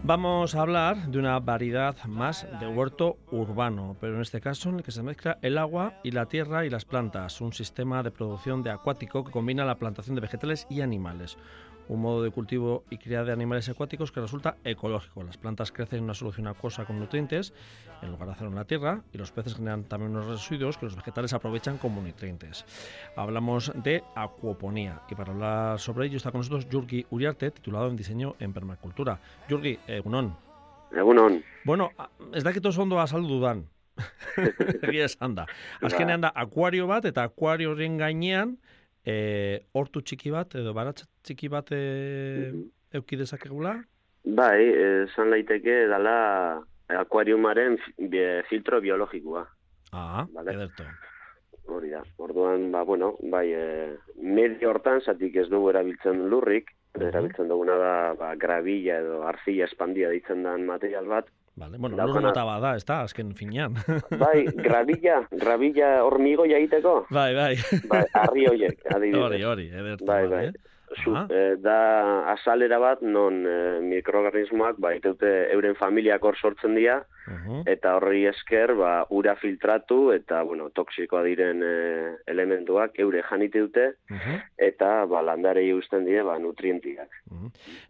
Vamos a hablar de una variedad más de huerto urbano, pero en este caso en el que se mezcla el agua y la tierra y las plantas, un sistema de producción de acuático que combina la plantación de vegetales y animales. Un modo de cultivo y cría de animales acuáticos que resulta ecológico. Las plantas crecen en una solución acuosa con nutrientes en lugar de hacerlo en la tierra y los peces generan también unos residuos que los vegetales aprovechan como nutrientes. Hablamos de acuoponía y para hablar sobre ello está con nosotros Jurgi Uriarte, titulado en diseño en permacultura. Jurgi, egunon. Egunon. Bueno, ez dakit oso ondo azaldu dudan. Egia esan da. Azkenean da, akuario bat eta akuario horren gainean hortu txiki bat edo baratza txiki bat euki dezakegula? Bai, esan laiteke dala akuariumaren filtro biologikoa. Vale? Ederto. Hori da. Orduan, bai, medio hortan, zatik ez dugu erabiltzen lurrik, erabiltzen duguna da gravilla edo arcilla espandia ditzen den material bat. Vale, bueno, lur mota bada, ez da, azken finean. Bai, gravilla hormigoia egiteko? Bai. Bai, arri horiek, adibidez. Hori, ederto. Bai. Da azalera bat non mikroorganismoak iteute euren familiak hor sortzen dira eta horri esker ura filtratu eta toksikoa diren elementuak eure janite dute eta landarei uzten die nutrientiak.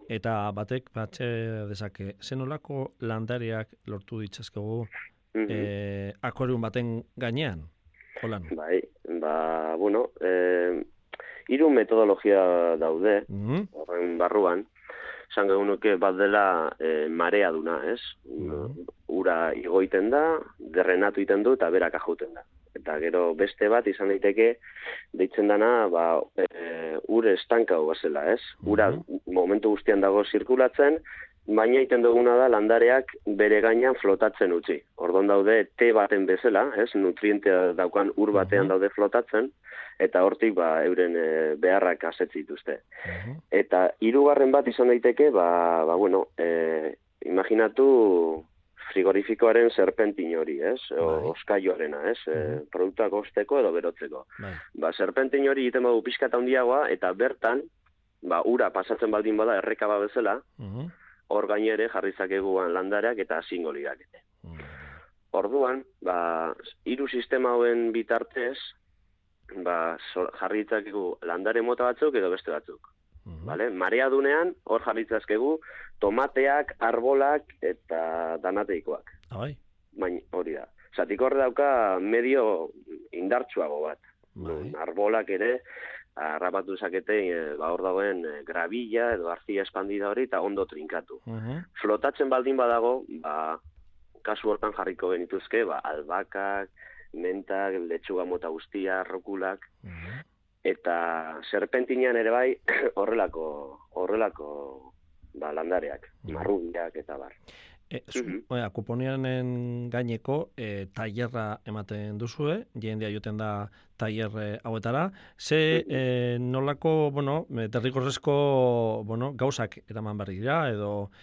Eta batek batxe dezake, zenolako landareak lortu ditzazkegu akuarium baten gainean? Holan? Bai, 3 metodologia daude, horren barruan, esan gehunuke bat dela marea duna, ez? Ura igoiten da, derrenatu iten du eta berak ajouten da. Eta gero beste bat izan daiteke, deitzen dana, ur estankau bazela, ez? Ura momentu guztian dago zirkulatzen, baina iten duguna da landareak bere gainean flotatzen utzi. Ordon daude te baten bezala, ez? Nutrientea daukan ur batean daude flotatzen, eta hortik euren beharrak asetzi dituzte. Eta 3. bat izan daiteke, imaginatu frigorifikoaren serpentin hori, ez? Oskaioarena, ez? Produktuak osteko edo berotzeko. Serpentin hori egiten badu pixkata handiagoa, eta bertan, ura pasatzen baldin bada errekaba bezala, hor gainere jarrizakeguan landareak eta zingoliak. Orduan, 3 sistema hauen bitartez, jarritzakegu landare mota batzuk edo beste batzuk. Marea dunean, hor jarritzakegu tomateak, arbolak eta danateikoak. Baina hori da. Zatik hor dauka medio indartsuago bat. Arbolak ere, harrapatu zakete, hor dagoen gravilla edo arcilla espandida hori eta ondo trinkatu. Flotatzen baldin badago, kasu hortan jarriko genituzke, albakak, mentak, letxuga mota guztia, rokulak, eta serpentinean ere bai horrelako landareak, marrubiak eta bar. Akuponianen gaineko tailerra ematen duzue, jendea joten da tailer hauetara, nolako, derrigorrezko gauzak eraman behar dira, edo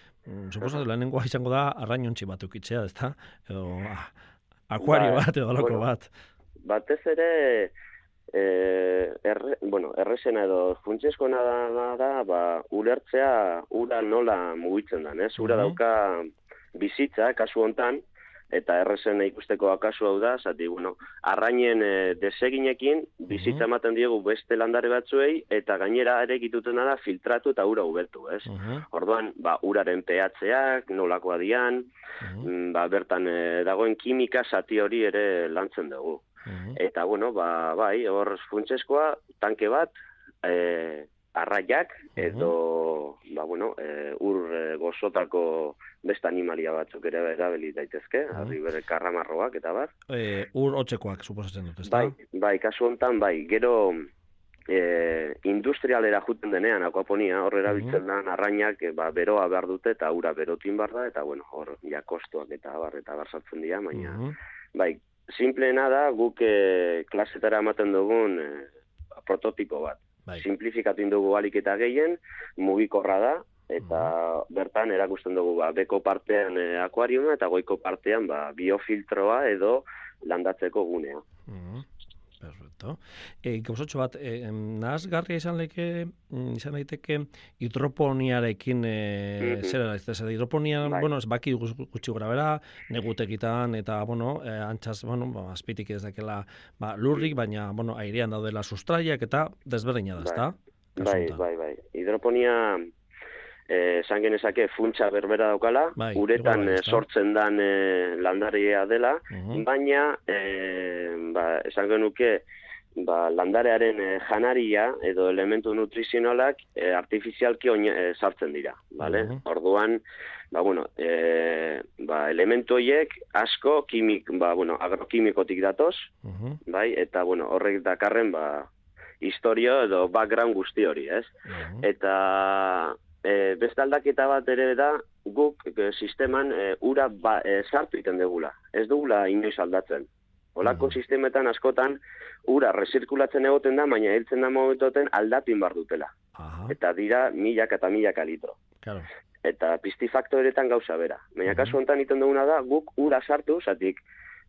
suposatu lehenengoa izango da arrainontzi bat eukitzea, ezta? Edo akuario bat edo loko bat. Batez ere, errezena edo funtsezkoena da, ulertzea ura nola mugitzen den, ez? Ura dauka bizitza, kasu hontan, eta errezena ikusteko kasu hau da, arrainen deseginekin bizitza ematen diegu beste landare batzuei, eta gainera ere egituten da filtratu eta ura ubertu, ez? Orduan, uraren pehatzeak, nolakoa dian, bertan dagoen kimika zati hori ere lantzen dugu. Eta, hor funtsezkoa, tanke bat, arraiak, edo, ur gozotako beste animalia batzuk ere erabili daitezke, harri bere karramarroak eta bar. Ur hotzekoak, suposatzen dut, ezta? Bai, kasu honetan, gero industrialera juten denean, akuaponia, hor erabiltzen da, arrainak beroa behar dute, eta ura berotin behar da, eta hor kostuak eta bar sartzen dira, baina, simpleena da, guk klasetara ematen dugun prototipo bat. Simplifikatu indugu alik eta gehien, mugikorra da, eta bertan erakusten dugu beko partean akuariuma eta goiko partean biofiltroa edo landatzeko gunea. Perfecto. Gauzotxo bat, nahazgarria izan daiteke hidroponiarekin, zera, hidroponia, ez baki gutxi gora bera, negutekitan, eta, antxaz, azpitik ez dakela lurrik, baina, airean daudela sustraiak, eta desberdina da, ezta? Bai. Hidroponia, esan genezake funtsa berbera daukala, uretan sortzen dan landaria dela, baina, esan genuke, landarearen janaria edo elementu nutrizionalak artifizialki sartzen dira, bale? Orduan, elementu horiek asko agrokimikotik datoz, bai? Eta, horrek dakarren, historia edo background guzti hori, ez? Eta beste aldaketa bat ere da, guk sisteman ura sartu iten dugula. Ez dugula inoiz aldatzen. Olako sistemetan askotan ura resirkulatzen egoten da, baina hiltzen da momentoten aldatu inbar dutela. Eta dira milaka eta milaka litro. Eta pistifaktoretan gauza bera. Baina kasu honetan iten duguna da, guk ura sartu, zatik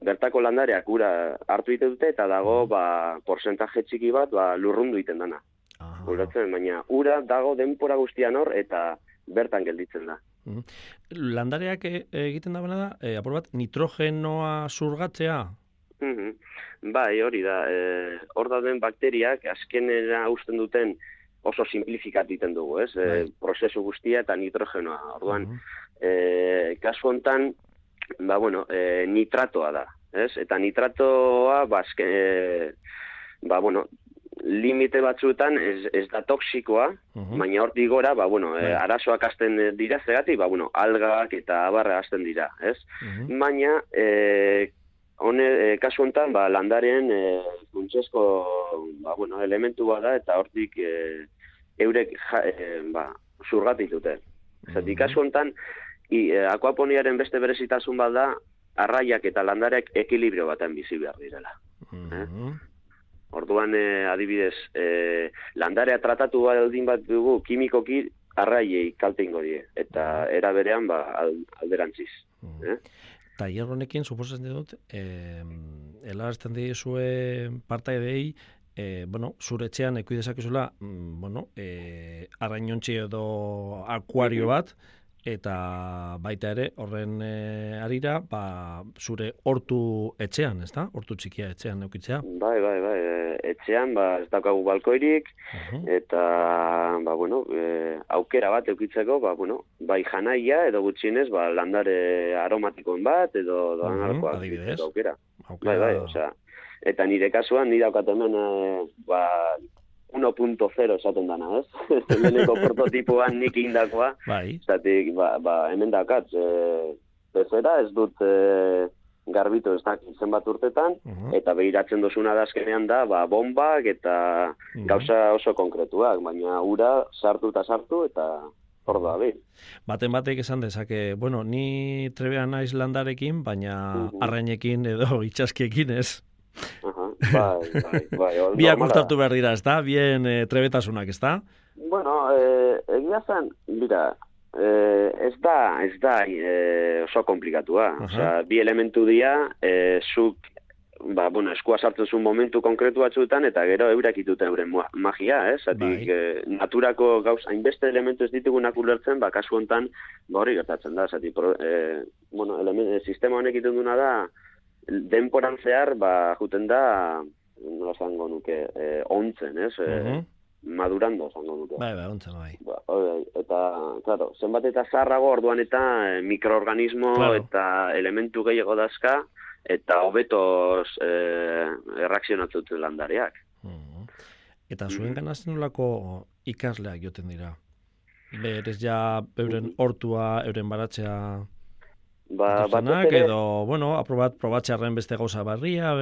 bertako landareak ura hartu ite dute, eta dago porzentaje txiki bat lurrundu iten dana. Baina ura dago denpora guztian hor, eta bertan gelditzen da. Landareak egiten da da, apur bat, nitrogenoa zurgatzea? Bai, hori da. Hor dauden bakteriak azkenera usten duten oso simplifikat iten dugu, ez? Prozesu guztia eta nitrogenoa. Orduan, kasu hontan, nitratoa da, ez? Eta nitratoa, limite batzuetan ez da toksikoa, baina hortik gora, arazoak hasten dira zegati, algak eta abarra hasten dira, ez? Baina, kasu honetan, landaren funtsezko elementu bada, eta hortik eurek zurgatitute. Zatik, kasu honetan, akuaponiaren beste berezitasun bat da, arraiak eta landareak ekilibrio baten bizi behar direla. Orduan, adibidez, landarea tratatu baldin bat dugu, kimikoki arraiei kalte ingo die, eta era berean alderantziz. Eta hierronekin, suposatzen dut, helarazten dizue partaidei, zure etxean ekui dezakezula, arrainontzi edo akuario bat, eta baita ere, horren arira, zure hortu etxean, ez da? Hortu txikia etxean eukitzea? Bai. Etxean, ez daukagu balkoirik, eta, aukera bat eukitzeko, bai janaia, edo gutxienez, landare aromatikoen bat, edo doan adibidez. Aukera. Bai, eta nire kasuan, nire daukat hemen, 1.0 esaten dana, ez? Leheneko prototipoan nik indakoa. Zatik, hemen daukat, bezera ez dut garbitu ez dakit zenbat urtetan, eta behiratzen dozuna da azkenean da, bombak eta gauza oso konkretuak, baina ura sartu, eta hor da, Baten batek esan dezake, ni trebean naiz landarekin, baina arrainekin edo itxaskiekin ez. Bai. Biak uztartu behar dira, ez da? Bien trebetasunak, ez da? Egia zen, ez da oso komplikatua. Bi elementu dira, zuk, eskua sartzen zuen momentu konkretu batzuetan, eta gero eurak ituten euren magia, ez? Naturako gauz, hainbeste elementu ez ditugunak ulertzen, kasu honetan, hori gertatzen da. Sistema honek iten duna da, denporan zehar, juten da, nola zango nuke, ontzen, ez? Madurando, zango nuke. Bai, ontzen, bai. Eta, claro, zenbat eta zaharrago orduan eta mikroorganismo eta elementu gehiago dazka, eta hobetoz erreakzionatzen landareak. Eta zuen ganazten nolako ikasleak joten dira? Berez ja, euren hortua, euren baratzea... edo, aprobat probatxarren beste gauza barria,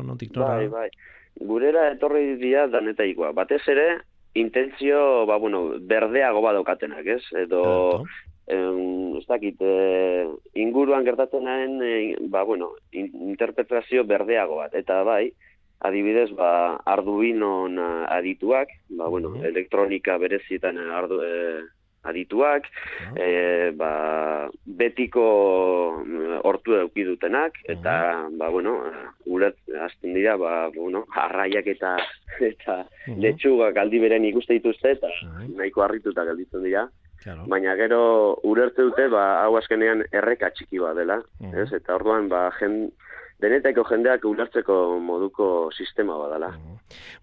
notik nora... Bai. Gurera etorri dira danetaikoa. Batez ere, intentzio, berdeago badaukatenak, ez? Edo, ez dakit, inguruan gertatzen interpretazio berdeago bat. Eta bai, adibidez, Arduinon adituak, elektronika berezietan adituak, betiko hortu eduki dutenak, eta, hasten dira, arraiak eta letxugak aldi beren ikuste dituzte, eta nahiko harrituta gelditzen dira. Claro. Baina gero ulertze dute, hau azkenean erreka txiki bat dela, ez? Eta orduan, denetako jendeak ulertzeko moduko sistema bat dela.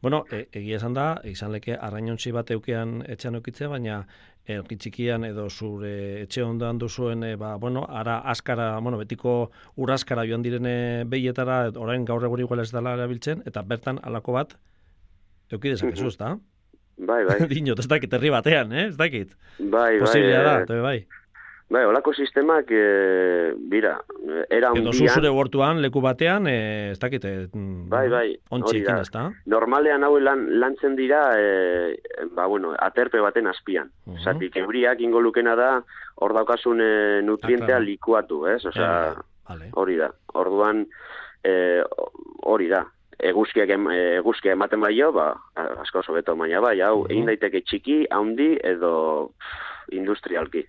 Bueno, egia esan da, izan leke arrainontzi bat eukean etxean eukitzea, baina erki txikian edo zure etxe ondoan duzuen, ara askara, betiko uraskara joan direne behietara, orain gaur egun igual ez dela erabiltzen, eta bertan halako bat eukidezakezu, ez da? Bai. Dinot, ez dakit, herri batean, ez dakit? Bai. Posiblea da, bai. Bai, olako sistemak, era edo hundian... zure huertuan, leku batean, ez dakit, bai, ontxeekin, ez da? Normalean hau lantzen dira, aterpe baten azpian. Zatik, euriak ingo lukena da, hor daukasun nutrientea likuatu, ez? Osea, hori da. Orduan, hori da. Eguzkia ematen baio, asko oso beto, baina bai, hau, egin daiteke txiki, haundi, edo industrialki.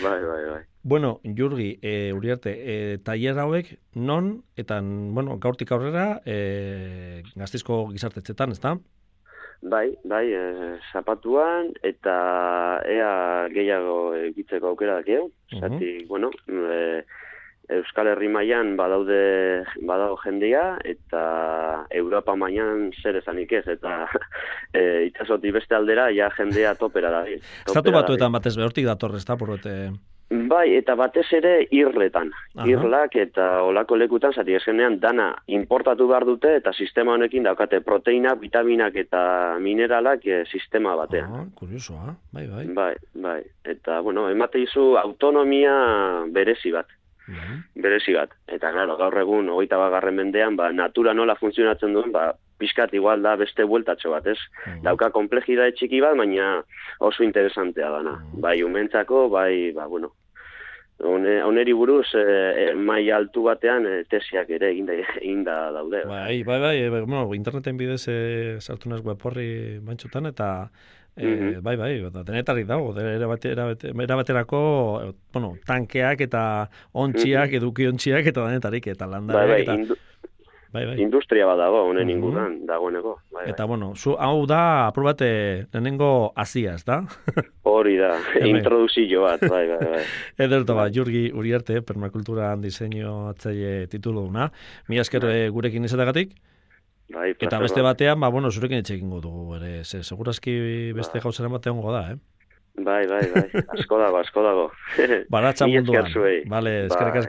Bai. Bueno, Jurgi, Uriarte, tailer hauek non, eta, gaurtik aurrera, Gasteizko gizartetxetan, ez da? Bai, zapatuan, eta ea gehiago egitzeko aukera dakio. Zatik, Euskal Herri mailan badago jendea, eta Europa mailan zer esanik ez, eta itxasotik beste aldera ja jendea topera da. Estatu batuetan batez behortik datorrez, da, porrete... Bai, eta batez ere irletan. Irlak eta olako lekutan, zati eskenean dana importatu behar dute, eta sistema honekin daukate proteina, vitaminak eta mineralak sistema batean. Kuriosoa, bai. Bai, eta, emate izu autonomia berezi bat. Eta, claro, gaur egun, 21. mendean, natura nola funtzionatzen duen, pixkat igual da beste bueltatxo bat, ez? Dauka komplejidade txiki bat, baina oso interesantea dana. Bai, umentzako, oneri buruz, mai altu batean, tesiak ere eginda daude. Bai, interneten bidez sartu naz web horri bantxutan, eta bai, denetarik dago, erabaterako tankeak eta ontziak, edukiontziak eta denetarik, eta landareak, Bai. Industria bat dago, honen inguruan, dagoeneko. Bai. Eta, hau da, aprobate, lehenengo azia, ez da? Hori da, introduzio bat, bai. Ederto, Jurgi Uriarte, permakulturan diseinu atzaile titulu duna. Mi esker gurekin izatagatik. Bai, eta beste batean, zurekin etxekin dugu, ere, segurazki beste gauzaren batean gogo da, Bai, asko dago. Baratza munduan. Vale, eskerrik asko.